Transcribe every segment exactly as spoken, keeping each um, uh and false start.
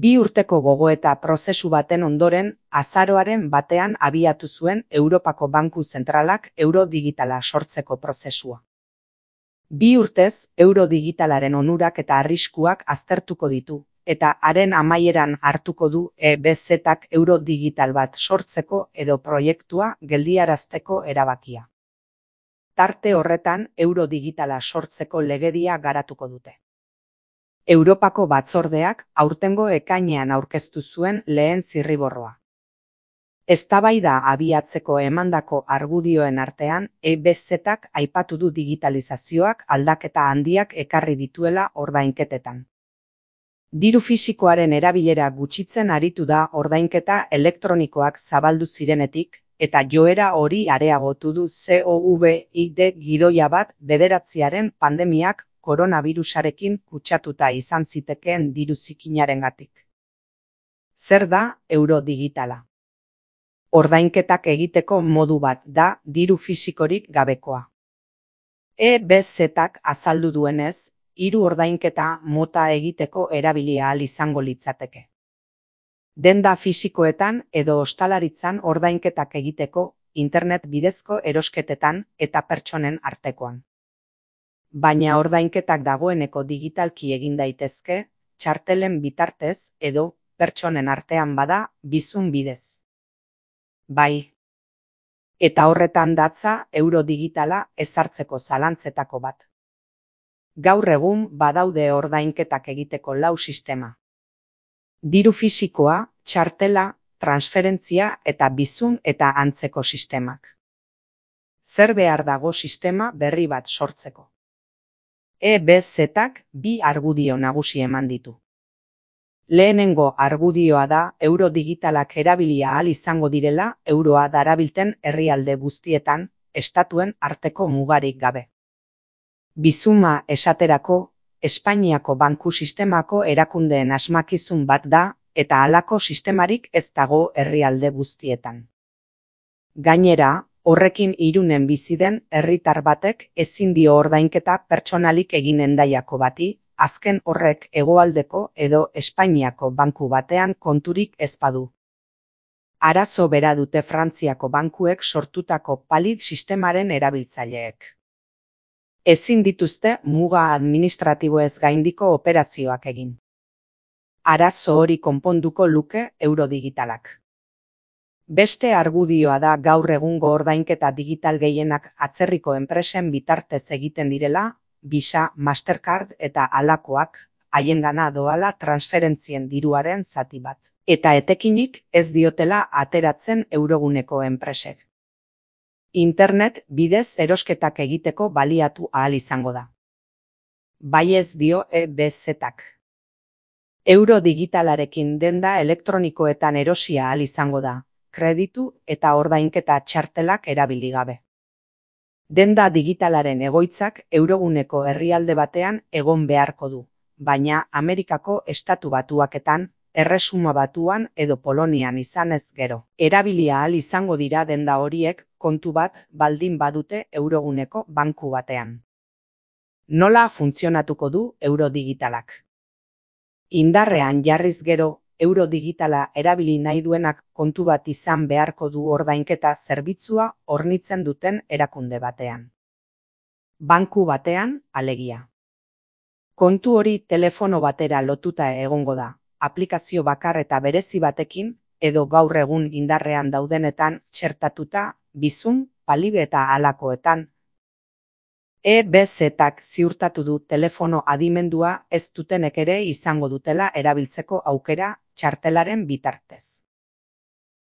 Bi urteko gogoeta prozesu baten ondoren, azaroaren batean abiatu zuen Europako Banku Zentralak euro digitala sortzeko prozesua. Bi urtez, euro digitalaren onurak eta arriskuak aztertuko ditu, eta haren amaieran hartuko du E B Z-ak euro digital bat sortzeko edo proiektua geldiarazteko erabakia. Tarte horretan, euro digitala sortzeko legedia garatuko dute. Europako batzordeak aurtengo ekainean aurkeztu zuen lehen zirriborroa. Eztabaida abiatzeko emandako argudioen artean, E B Z-ak aipatu du digitalizazioak aldaketa handiak ekarri dituela ordainketetan. Diru fisikoaren erabilera gutxitzen aritu da ordainketa elektronikoak zabaldu zirenetik, eta joera hori areagotu du COVID gidoia bat bederatziaren pandemiak koronabirusarekin kutsatuta izan zitekeen diru zikinarengatik. Zer da euro digitala? Ordainketak egiteko modu bat da diru fisikorik gabekoa. E B Z-ak azaldu duenez, hiru ordainketa mota egiteko erabili ahal izango litzateke. Denda fisikoetan edo ostalaritzan ordainketak egiteko, internet bidezko erosketetan eta pertsonen artekoan. Baina ordainketak dagoeneko digitalki egin daitezke, txartelen bitartez edo pertsonen artean bada bizun bidez. Bai. Eta horretan datza euro digitala ezartzeko zalantzetako bat. Gaur egun badaude ordainketak egiteko lau sistema. Diru fisikoa, txartela, transferentzia eta bizun eta antzeko sistemak. Zer behar dago sistema berri bat sortzeko? E B Z-ak bi argudio nagusi eman ditu. Lehenengo argudioa da euro digitalak erabilia ahal izango direla euroa darabilten herrialde guztietan, estatuen arteko mugarik gabe. Bizuma esaterako, Espainiako banku sistemako erakundeen asmakizun bat da, eta halako sistemarik ez dago herrialde guztietan. Gainera, horrekin Irunen bizi den herritar batek ezin dio ordainketa pertsonalik egin Hendaiako bati, azken horrek hegoaldeko edo Espainiako banku batean konturik ez badu. Arazo bera dute Frantziako bankuek sortutako PALIR sistemaren erabiltzaileek. Ezin dituzte muga administratiboez gaindiko operazioak egin. Arazo hori konponduko luke euro digitalak. Beste argudioa da gaur egungo ordainketa digital gehienak atzerriko enpresen bitartez egiten direla, Visa, Mastercard eta halakoak, haiengana doala transferentzien diruaren zati bat. Eta etekinik ez diotela ateratzen euroguneko enpresek. Internet bidez erosketak egiteko baliatu ahal izango da. Bai ez dio E B Z-ak. Euro digitalarekin denda elektronikoetan erosia ahal izango da, kreditu eta ordainketa txartelak erabili gabe. Denda digitalaren egoitzak euroguneko herrialde batean egon beharko du, baina Amerikako Estatu Batuaketan, Erresuma Batuan edo Polonian izanez gero. Erabilia ahal izango dira denda horiek kontu bat baldin badute euroguneko banku batean. Nola funtzionatuko du euro digitalak? Indarrean jarriz gero, euro digitala erabili nahi duenak kontu bat izan beharko du ordainketa zerbitzua hornitzen duten erakunde batean. Banku batean, alegia. Kontu hori telefono batera lotuta egongo da, aplikazio bakar eta berezi batekin, edo gaur egun indarrean daudenetan txertatuta, bizun, PALIR eta halakoetan. E B Z-ak ziurtatu du telefono adimendua ez dutenek ere izango dutela erabiltzeko aukera txartelaren bitartez.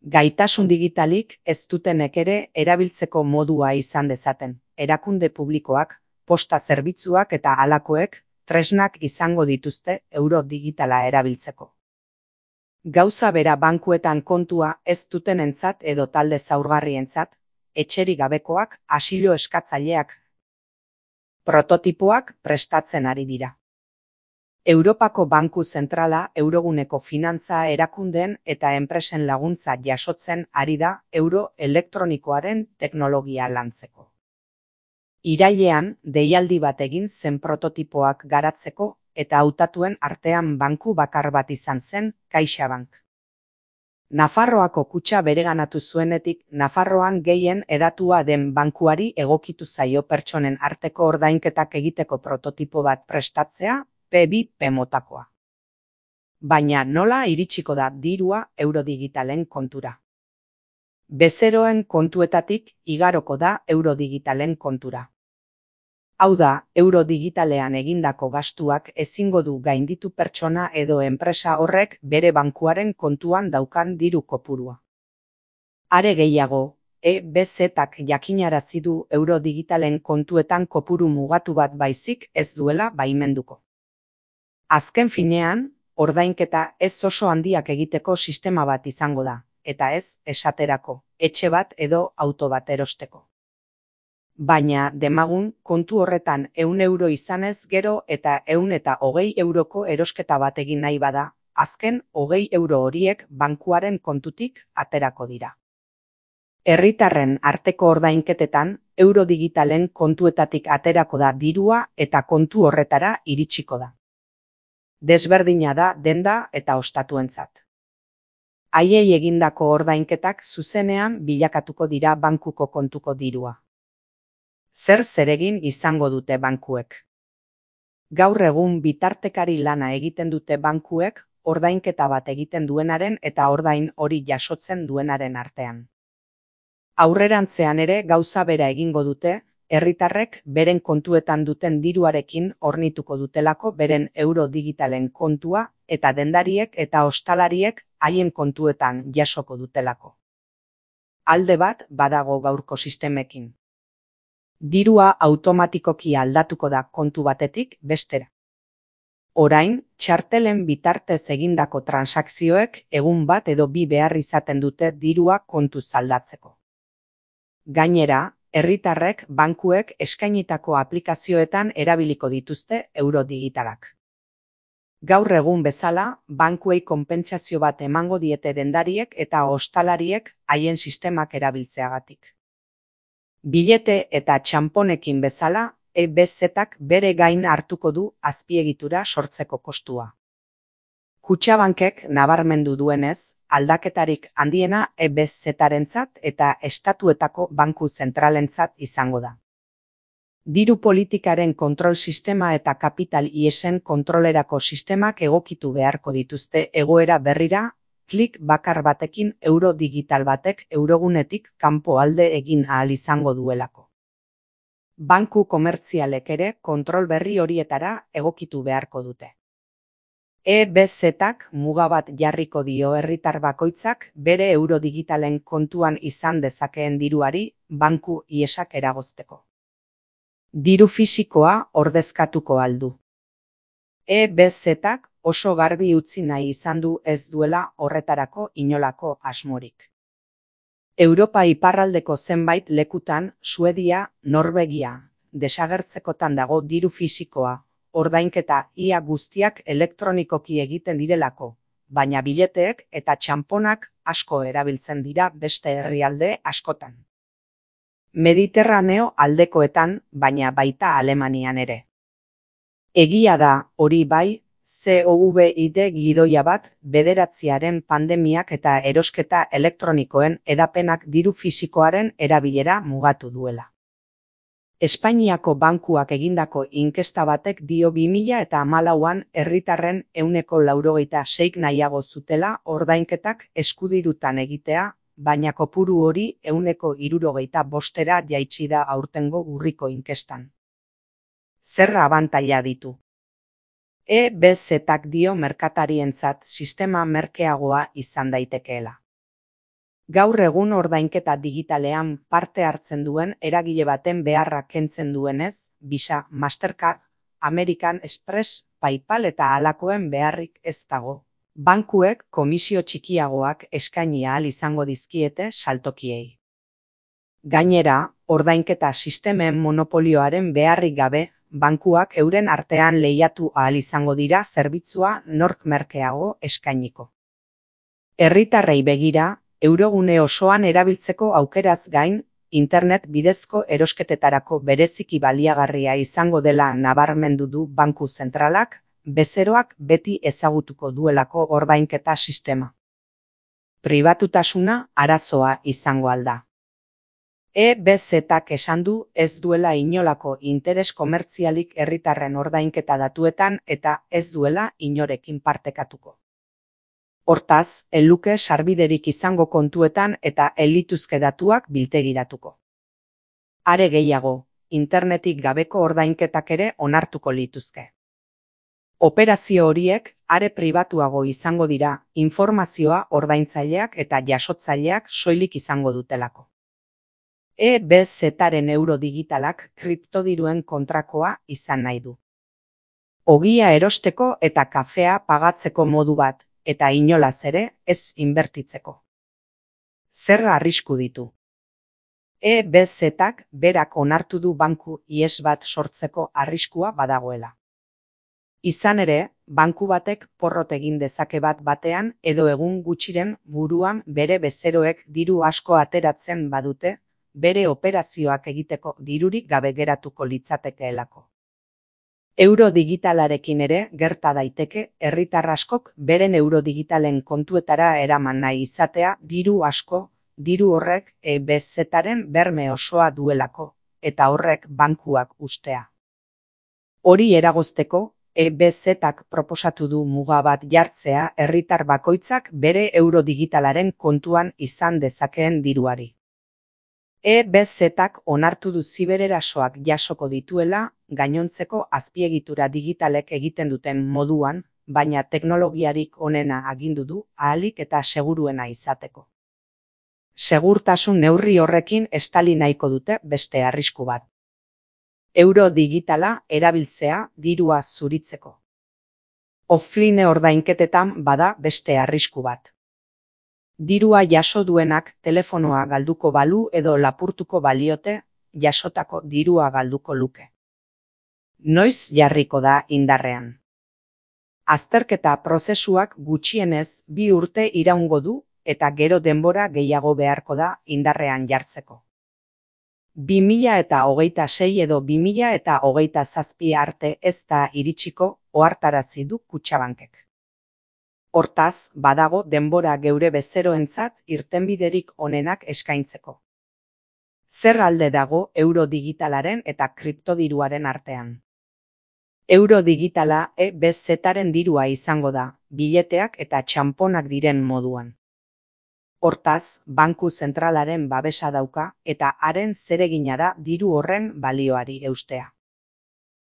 Gaitasun digitalik ez dutenek ere erabiltzeko modua izan dezaten, erakunde publikoak, posta zerbitzuak eta halakoek tresnak izango dituzte euro digitala erabiltzeko. Gauza bera bankuetan kontua ez dutenentzat edo talde zaurgarrientzat, etxerik gabekoak, asilo eskatzaileak, prototipoak prestatzen ari dira. Europako Banku Zentrala euroguneko finantza erakundeen eta enpresen laguntza jasotzen ari da euro elektronikoaren teknologia lantzeko. Irailean, deialdi bat egin zen prototipoak garatzeko eta hautatuen artean banku bakar bat izan zen, CaixaBank. Nafarroako kutxa bereganatu zuenetik, Nafarroan gehien hedatua den bankuari egokitu zaio pertsonen arteko ordainketak egiteko prototipo bat prestatzea, P bi P motakoa. Baina nola iritsiko da dirua eurodigitalen kontura? Bezeroen kontuetatik igaroko da eurodigitalen kontura. Hau da, eurodigitalean egindako gastuak ezingo du gainditu pertsona edo enpresa horrek bere bankuaren kontuan daukan diru kopurua. Are gehiago, E B Z-ak jakinarazi du eurodigitalen kontuetan kopuru mugatu bat baizik ez duela baimenduko. Azken finean, ordainketa ez oso handiak egiteko sistema bat izango da, eta ez esaterako, etxe bat edo auto bat erosteko. Baina demagun kontu horretan ehun euro izanez gero eta ehun eta hogei euroko erosketa bat egin nahi bada, azken hogei euro horiek bankuaren kontutik aterako dira. Herritarren arteko ordainketetan eurodigitalen kontuetatik aterako da dirua eta kontu horretara iritsiko da. Desberdina da denda eta ostatuentzat. Haiei egindako ordainketak zuzenean bilakatuko dira bankuko kontuko dirua. Zer zeregin izango dute bankuek? Gaur egun bitartekari lana egiten dute bankuek ordainketa bat egiten duenaren eta ordain hori jasotzen duenaren artean. Aurrerantzean ere gauza bera egingo dute, herritarrek beren kontuetan duten diruarekin hornituko dutelako beren euro digitalen kontua eta dendariek eta ostalariek haien kontuetan jasoko dutelako. Alde bat badago gaurko sistemekin. Dirua automatikoki aldatuko da kontu batetik bestera. Orain, txartelen bitartez egindako transakzioek egun bat edo bi behar izaten dute dirua kontuz aldatzeko. Gainera, herritarrek bankuek eskainitako aplikazioetan erabiliko dituzte eurodigitalak. Gaur egun bezala, bankuei konpentsazio bat emango diete dendariek eta ostalariek haien sistemak erabiltzeagatik. Bilete eta txanponekin bezala, E B Z-ak bere gain hartuko du azpiegitura sortzeko kostua. Kutxabankek nabarmendu duenez, aldaketarik handiena E B Z-arentzat eta estatuetako banku zentralentzat izango da. Diru politikaren kontrol sistema eta kapital iesen kontrolerako sistemak egokitu beharko dituzte egoera berrira, klik bakar batekin euro digital batek eurogunetik kanpo alde egin ahal izango duelako. Banku komertzialek ere kontrol berri horietara egokitu beharko dute. E B Z-ak muga bat jarriko dio herritar bakoitzak bere euro digitalen kontuan izan dezakeen diruari banku iesak eragozteko. Diru fisikoa ordezkatuko aldu. E B Z-ak oso garbi utzi nahi izan du ez duela horretarako inolako asmorik. Europa iparraldeko zenbait lekutan Suedia, Norvegia, desagertzekotan dago diru fisikoa, ordainketa ia guztiak elektronikoki egiten direlako, baina bileteek eta txanponak asko erabiltzen dira beste herrialde askotan. Mediterraneo aldekoetan, baina baita Alemanian ere. Egia da, hori bai, COVID gidoia bat bederatziaren pandemiak eta erosketa elektronikoen edapenak diru fisikoaren erabilera mugatu duela. Espainiako bankuak egindako inkesta batek dio bi mila hamalauan herritarren ehuneko laurogeita seik nahiago zutela ordainketak eskudirutan egitea, baina kopuru hori ehuneko hirurogeita bostera jaitsi da aurtengo urriko inkestan. Zer abantaila ditu? E B Z-ak dio merkatarientzat sistema merkeagoa izan daitekeela. Gaur egun ordainketa digitalean parte hartzen duen eragile baten beharra kentzen duenez, Visa, Mastercard, American Express, PayPal eta halakoen beharrik ez dago. Bankuek komisio txikiagoak eskaini ahal izango dizkiete saltokiei. Gainera, ordainketa sistemen monopolioaren beharrik gabe, bankuak euren artean lehiatu ahal izango dira zerbitzua nork merkeago eskainiko. Herritarrei begira, eurogune osoan erabiltzeko aukeraz gain, internet bidezko erosketetarako bereziki baliagarria izango dela nabarmendu du banku zentralak, bezeroak beti ezagutuko duelako ordainketa sistema. Pribatutasuna arazoa izango alda. E B Z-ak esan du ez duela inolako interes komertzialik herritarren ordainketa datuetan eta ez duela inorekin partekatuko. Hortaz, ez luke sarbiderik izango kontuetan eta ez lituzke datuak biltegiratuko. Are gehiago, internetik gabeko ordainketak ere onartuko lituzke. Operazio horiek are pribatuago izango dira, informazioa ordaintzaileak eta jasotzaileak soilik izango dutelako. E B Z-aren euro digitalak kriptodiruen kontrakoa izan nahi du. Ogia erosteko eta kafea pagatzeko modu bat, eta inolaz ere ez inbertitzeko. Zer arrisku ditu? E B Z-ak berak onartu du banku ihes bat sortzeko arriskua badagoela. Izan ere, banku batek porrot egin dezake bat batean edo egun gutxiren buruan bere bezeroek diru asko ateratzen badute, bere operazioak egiteko dirurik gabe geratuko litzatekeelako. Euro digitalarekin ere gerta daiteke herritar askok beren euro digitalen kontuetara eraman nahi izatea diru asko, diru horrek E B Z-aren berme osoa duelako, eta horrek bankuak ustea. Hori eragozteko, E B Z-ak proposatu du muga bat jartzea herritar bakoitzak bere euro digitalaren kontuan izan dezakeen diruari. E B Z-ak onartu du zibererasoak jasoko dituela gainontzeko azpiegitura digitalek egiten duten moduan, baina teknologiarik onena agindu du ahalik eta seguruena izateko. Segurtasun neurri horrekin estali nahiko dute beste arrisku bat. Euro digitala erabiltzea dirua zuritzeko. Offline ordainketetan bada beste arrisku bat. Dirua jaso duenak telefonoa galduko balu edo lapurtuko baliote, jasotako dirua galduko luke. Noiz jarriko da indarrean? Azterketa prozesuak gutxienez bi urte iraungo du eta gero denbora gehiago beharko da indarrean jartzeko. bi mila eta hogeita sei edo bi mila eta hogeita zazpi arte ez da iritsiko ohartarazi du Kutxabankek. Hortaz, badago denbora geure bezeroentzat irtenbiderik onenak eskaintzeko. Zer alde dago euro digitalaren eta kriptodiruaren artean? Euro digitala E B Z-aren dirua izango da, bileteak eta txanponak diren moduan. Hortaz, banku zentralaren babesa dauka eta haren zeregina da diru horren balioari eustea.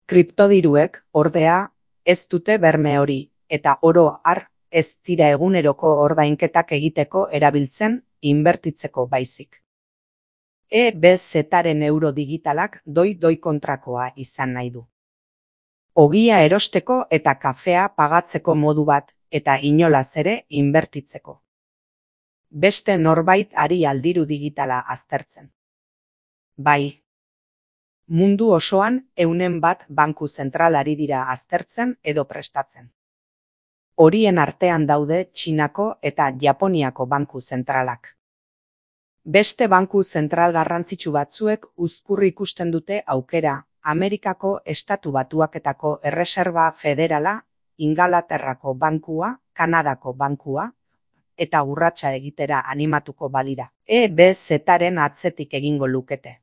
Kriptodiruek, ordea, ez dute berme hori, eta oro har, ez dira eguneroko ordainketak egiteko erabiltzen, inbertitzeko baizik. E B Z-aren euro digitalak doi-doi kontrakoa izan nahi du. Ogia erosteko eta kafea pagatzeko modu bat, eta inolaz ere inbertitzeko. Beste norbait ari aldiru digitala aztertzen. Bai. Mundu osoan eunen bat banku zentralari dira aztertzen edo prestatzen. Horien artean daude Txinako eta Japoniako banku zentralak. Beste banku zentral garrantzitsu batzuek uzkur ikusten dute aukera Amerikako Estatu Batuaketako Erreserba Federala, Ingalaterrako bankua, Kanadako bankua, eta urratsa egitera animatuko balira. E B Z-aren atzetik egingo lukete.